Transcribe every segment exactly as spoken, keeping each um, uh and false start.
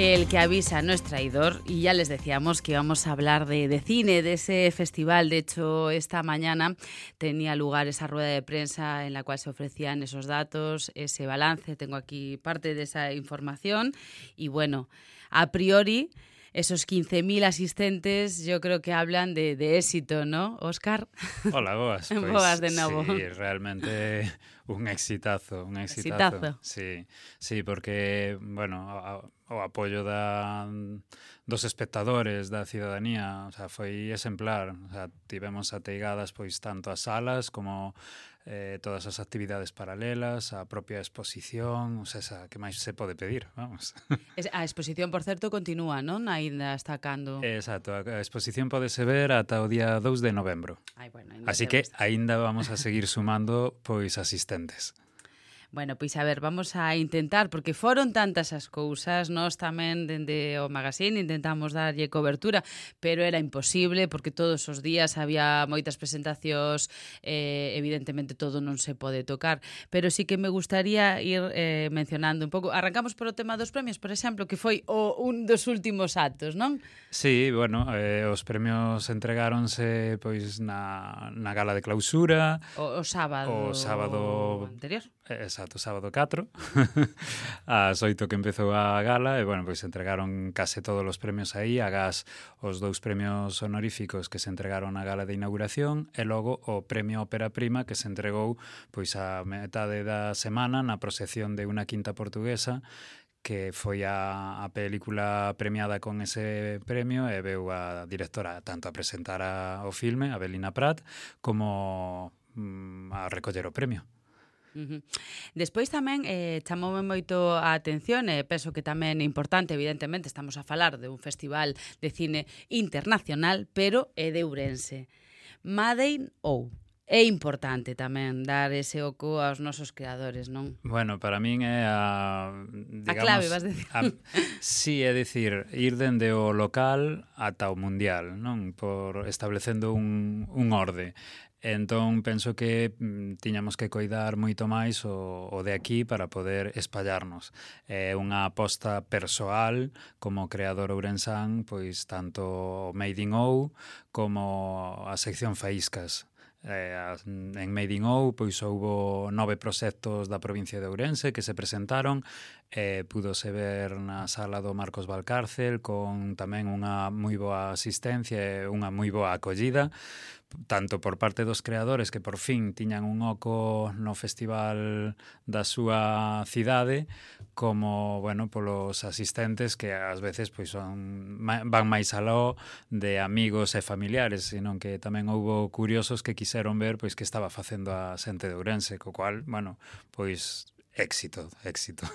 El que avisa no es traidor, y ya les decíamos que íbamos a hablar de, de cine, de ese festival. De hecho, esta mañana tenía lugar esa rueda de prensa en la cual se ofrecían esos datos, ese balance. Tengo aquí parte de esa información y bueno, a priori esos quince mil asistentes yo creo que hablan de, de éxito, ¿no, Óscar? Hola, boas. Pois, boas de novo. Sí, realmente un exitazo, un exitazo. Exitazo. Sí, sí, porque, bueno, a, o apoio da, dos espectadores, da cidadanía, o sea, foi exemplar. O sea, tivemos ateigadas pois tanto as salas como eh, todas as actividades paralelas, a propia exposición, o sea, esa, que máis se pode pedir, vamos. A exposición, por certo, continúa, non? Ainda está cando... Exacto, a exposición pódese ver ata o día dous de novembro. Ai, bueno, ainda Así que aínda vamos a seguir sumando pois asistentes. Bueno, pois a ver, vamos a intentar, porque foron tantas as cousas, nós tamén dende o magazine intentamos darlle cobertura, pero era imposible porque todos os días había moitas presentacións, eh, evidentemente todo non se pode tocar, pero sí que me gustaría ir eh, mencionando un pouco. Arrancamos por o tema dos premios, por exemplo, que foi o, un dos últimos actos, non? Sí, bueno, eh, os premios entregáronse pois na, na gala de clausura. O, o sábado, o sábado anterior. Exacto, sábado catro, ás oito que empezou a gala, e, bueno, pois entregaron case todos os premios aí, agás os dous premios honoríficos que se entregaron na gala de inauguración, e logo o premio Ópera Prima que se entregou pois a metade da semana na procesión de Unha quinta portuguesa, que foi a, a película premiada con ese premio, e veu a directora tanto a presentar a, o filme, a Belina Prat, como mm, a recoller o premio. Uh-huh. Despois tamén eh, chamoume moito a atención, e eh, penso que tamén é importante, evidentemente estamos a falar de un festival de cine internacional, pero é de Ourense. Made in Ou. É importante tamén dar ese oco aos nosos creadores, non? Bueno, para min é a... Digamos, a clave, vas decir. A, sí, é dicir, ir dende o local ata o mundial, non? Por establecendo un, un orde. Entón, penso que mm, tiñamos que coidar moito máis o, o de aquí para poder espallarnos. É unha aposta persoal como creador ourensán, pois tanto Made in Ou como a sección Faíscas. Eh, en Made in Ou pois houbo nove proxectos da provincia de Ourense que se presentaron, eh, púdose ver na sala do Marcos Valcárcel con tamén unha moi boa asistencia e unha moi boa acollida, tanto por parte dos creadores que por fin tiñan un oco no festival da súa cidade, como, bueno, polos asistentes que ás veces pois son van máis aló de amigos e familiares, senón que tamén houbo curiosos que quixeron ver pois que estaba facendo a xente de Ourense, co cual, bueno, pois éxito, éxito.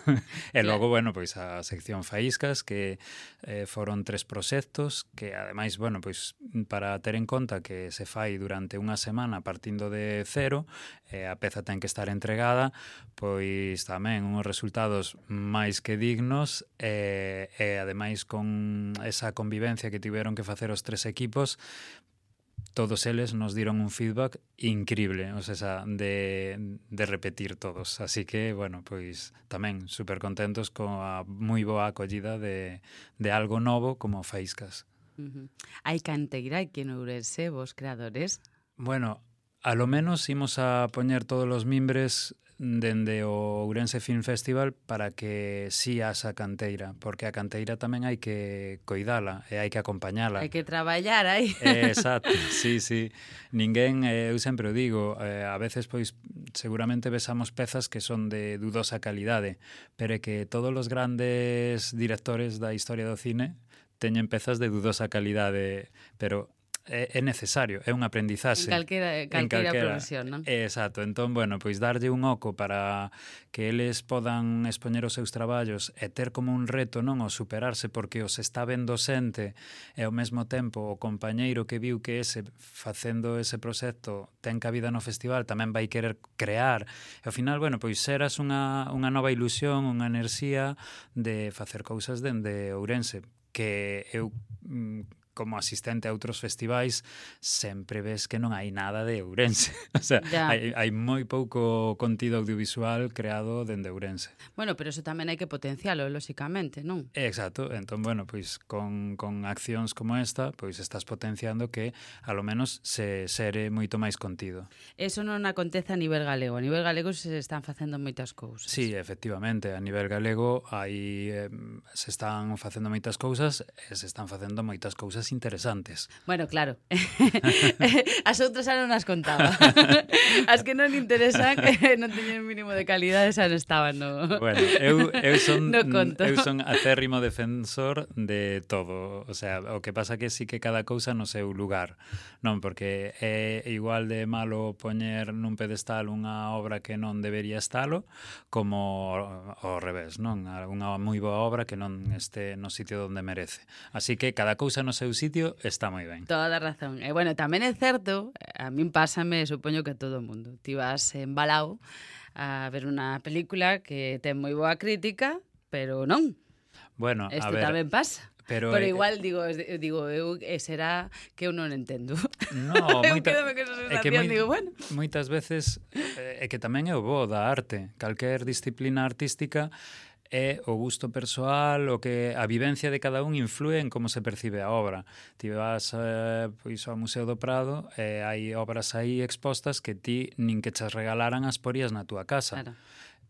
E logo, bueno, pois a sección Faíscas, que eh, foron tres proxectos, que ademais, bueno, pois para ter en conta que se fai durante unha semana partindo de cero, eh, a peza ten que estar entregada, pois tamén uns resultados máis que dignos, e, e ademais con esa convivencia que tiveron que facer os tres equipos, todos eles nos dieron un feedback increíble, o sea, de, de repetir todos. Así que, bueno, pois tamén super contentos coa moi boa acollida de, de algo novo como Faíscas. Uh-huh. Hai canteira aquí en Ourense, vos creadores? Bueno, a lo menos imos a poñer todos os mimbres dende o Ourense Film Festival para que si asa canteira, porque a canteira tamén hai que coidala e hai que acompañala. Hai que traballar aí. Eh, exacto, sí, sí. Ninguén, eh, eu sempre o digo, eh, a veces pois seguramente besamos pezas que son de dudosa calidade, pero é que todos os grandes directores da historia do cine teñen pezas de dudosa calidade, pero é, é necesario, é un aprendizaxe. En calquera, calquera profesión, non? Exacto, entón, bueno, pois darlle un oco para que eles podan expoñer os seus traballos e ter como un reto, non, o superarse porque os está vendo xente e ao mesmo tempo o compañeiro que viu que ese facendo ese proxecto ten cabida no festival tamén vai querer crear e ao final, bueno, pois xeras unha, unha nova ilusión, unha enerxía de facer cousas dende Ourense que eu como asistente a outros festivais, sempre ves que non hai nada de Ourense. O sea, Ya. hai, hai moi pouco contido audiovisual creado dende Ourense. Bueno, pero eso tamén hai que potencialo, lóxicamente, non? Exacto, entón, bueno, pois con, con accións como esta, pois estás potenciando que, a lo menos, se sere moito máis contido. Eso non acontece a nivel galego. A nivel galego se están facendo moitas cousas. Sí, efectivamente, a nivel galego aí eh, se están facendo moitas cousas e se están facendo moitas cousas interesantes. Bueno, claro. As outras xa non as contaba. As que non interesan, non teñen mínimo de calidade, xa non estaban no... Bueno, eu, eu, son, no conto. eu son acérrimo defensor de todo. O sea, o que pasa que sí que cada cousa no seu lugar. Non, porque é igual de malo poñer nun pedestal unha obra que non debería estalo, como ao revés, non? Unha moi boa obra que non este no sitio onde merece. Así que cada cousa no seu sitio está moi ben. Toda a razón. E, bueno, tamén é certo, a min pásame, supoño que a todo o mundo. Ti vas embalao a ver unha película que ten moi boa crítica, pero non. Bueno, a Isto ver, tamén pasa. Pero, pero eh, igual, digo, digo eu, eh, será que eu non entendo. No, eu moita, quedome con esa é que sensación, moi, digo, bueno. moitas veces é que tamén é o bo da arte. Calquer disciplina artística é o gusto persoal, o que a vivencia de cada un influe en como se percibe a obra. Ti vas eh, pois ao Museo do Prado e hai obras aí expostas que ti nin que chas regalaran as porías na túa casa. Claro.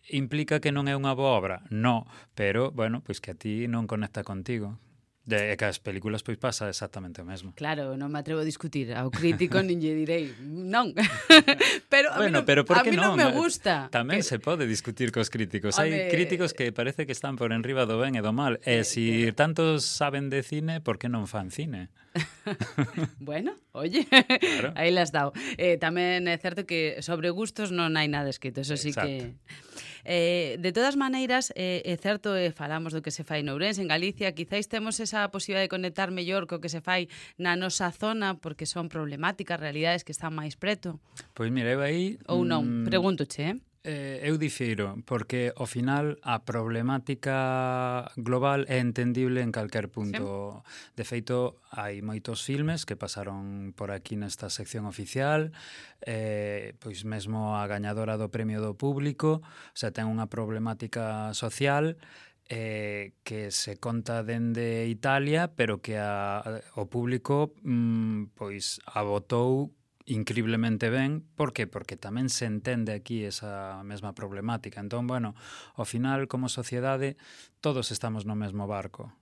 Implica que non é unha boa obra? No, pero, bueno, pois que a ti non conecta contigo. De que as películas pois pasa exactamente o mesmo. Claro, non me atrevo a discutir ao crítico nin lle direi non. pero a bueno, mí non, pero por a que mí non non? me gusta. Tamén que... se pode discutir cos críticos. Home... Hai críticos que parece que están por enriba do ben e do mal. E Eh, si que... tantos saben de cine, por que non fan cine? Bueno, oye, claro. aí las dao. Eh, tamén é certo que sobre gustos non hai nada escrito, eso sí que... Eh, de todas maneiras, eh, é certo, eh, falamos do que se fai en Ourense, en Galicia, quizáis temos esa posibilidade de conectar mellor co que se fai na nosa zona, porque son problemáticas, realidades que están máis preto. Pois mira, eu aí... Ou non, mm, pregúntoche, eh? Eh, eu difiro, porque ao final a problemática global é entendible en calquer punto. Sí. De feito, hai moitos filmes que pasaron por aquí nesta sección oficial, eh, pois mesmo a gañadora do Premio do Público, o sea, ten unha problemática social eh, que se conta dende Italia, pero que a, o público mm, pois abotou increíblemente ben. Por que? Porque tamén se entende aquí esa mesma problemática. Entón, bueno, ao final, como sociedade, todos estamos no mesmo barco.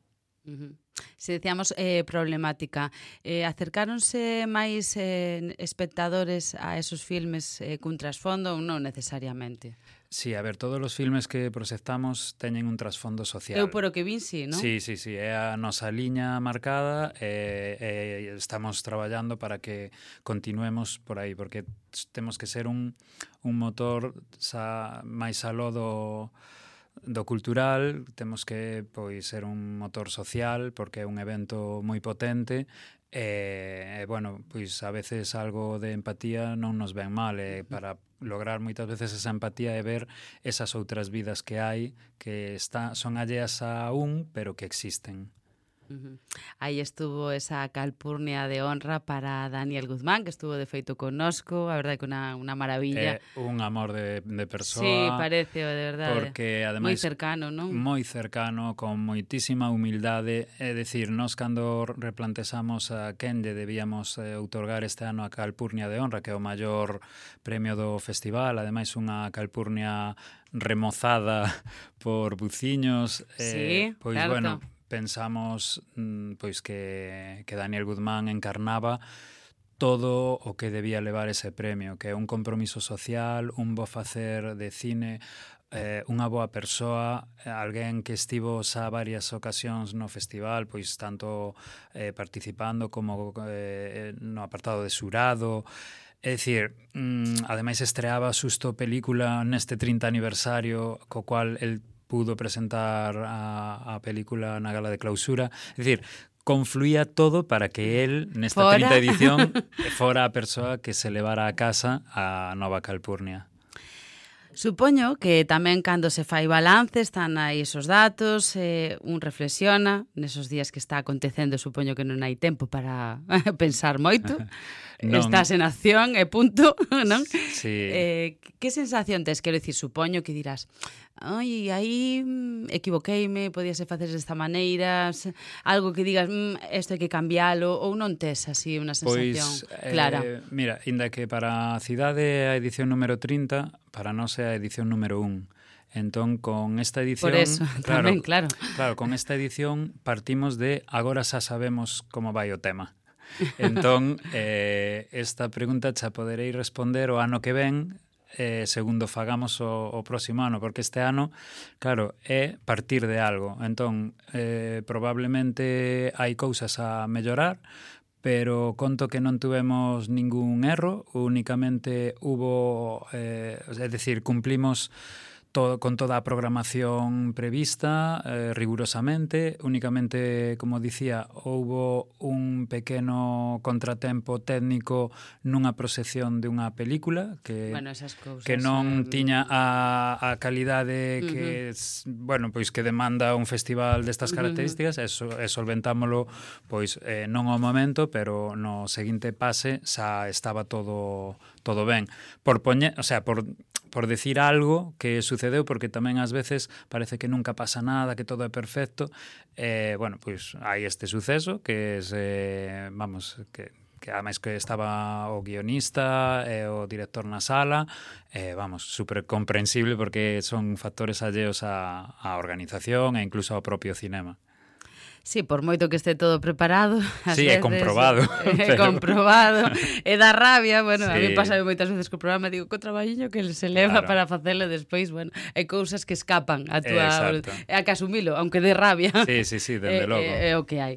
Uh-huh. Se decíamos eh, problemática, eh, acercáronse máis eh, espectadores a esos filmes eh, cun trasfondo ou non necesariamente? Sí, a ver, todos os filmes que proxectamos teñen un trasfondo social. Eu por o que vin, sí, non? Sí, sí, sí, é a nosa liña marcada e, e estamos traballando para que continuemos por aí, porque temos que ser un, un motor sa, máis aló do, do cultural, temos que pois ser un motor social, porque é un evento moi potente. E, bueno, pois a veces algo de empatía non nos ven mal, e para lograr moitas veces esa empatía e ver esas outras vidas que hai que está, son alleas a un, pero que existen. Uh-huh. Aí estuvo esa calpurnia de honra para Daniel Guzmán, que estuvo de feito connosco, a verdade que unha, unha maravilla. É un amor de, de persoa. Sí, parece, de verdade. Porque, ademais, moi cercano, non? Moi cercano, con moitísima humildade. É dicir, nós cando replantexamos a quen lle debíamos eh, outorgar este ano a calpurnia de honra, que é o maior premio do festival, ademais unha calpurnia remozada por buciños. Sí, eh, pois, certo. bueno, pensamos pois que, que Daniel Guzmán encarnaba todo o que debía levar ese premio, que é un compromiso social, un bo facer de cine, eh, unha boa persoa, alguén que estivo xa varias ocasións no festival, pois tanto eh, participando como eh, no apartado de xurado. É dicir, mm, ademais estreaba xusto película neste trinta aniversario, co cual el pudo presentar a, a película na gala de clausura. É dicir, confluía todo para que él, nesta fora. trinta edición, fora a persoa que se levara a casa a nova calpurnia. Supoño que tamén cando se fai balance están aí esos datos, eh, un reflexiona nesos días que está acontecendo, supoño que non hai tempo para pensar moito. Non. Estás en acción e punto, non? Sí. Eh, que sensación tes? Quero dicir, supoño que dirás, ai, aí equivoqueime, podíase facer desta maneira, algo que digas, isto hai que cambialo, ou non tes así unha sensación pois, clara? Eh, mira, inda que para a cidade a edición número trinta, para nós é a edición número un. Entón, con esta edición... Por eso, claro, tamén, claro. Claro, con esta edición partimos de agora xa sabemos como vai o tema. Entón, eh, esta pregunta xa poderei responder o ano que ven, eh, segundo fagamos o, o próximo ano, porque este ano, claro, é partir de algo. Entón, eh, probablemente hai cousas a mellorar, pero conto que non tuvemos ningún erro, únicamente hubo, eh, é dicir, cumplimos todo, con toda a programación prevista, eh, rigurosamente. Únicamente, como dicía, houbo un pequeno contratempo técnico nunha proxección de unha película que, bueno, esas cousas, que non eh, tiña a, a calidade uh-huh. que, bueno, pois que demanda un festival destas características, uh-huh. e, so, e solventámolo pois eh, non ao momento, pero no seguinte pase xa estaba todo todo ben. Por poñer, o sea, por por decir algo que sucedeu, porque tamén ás veces parece que nunca pasa nada, que todo é perfecto. Eh, bueno, pois hai este suceso que es, eh, vamos, que que ademais que estaba o guionista e o director na sala, eh, vamos, super comprensible porque son factores alleos á, á organización e incluso ao propio cinema. Sí, por moito que este todo preparado, sí, veces, é comprobado. É pero... comprobado, e dá rabia, bueno, sí. A mí pasa moitas veces co programa, digo, co traballiño que se leva claro. Para facelo despois, bueno, hai cousas que escapan a túa... É a que asumilo, aunque dé rabia. Sí, sí, sí, dende logo. É, é o que hai.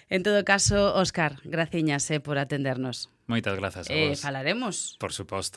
En todo caso, Óscar, graciñas eh, por atendernos. Moitas grazas a vos. Eh, vos. falaremos. Por suposto.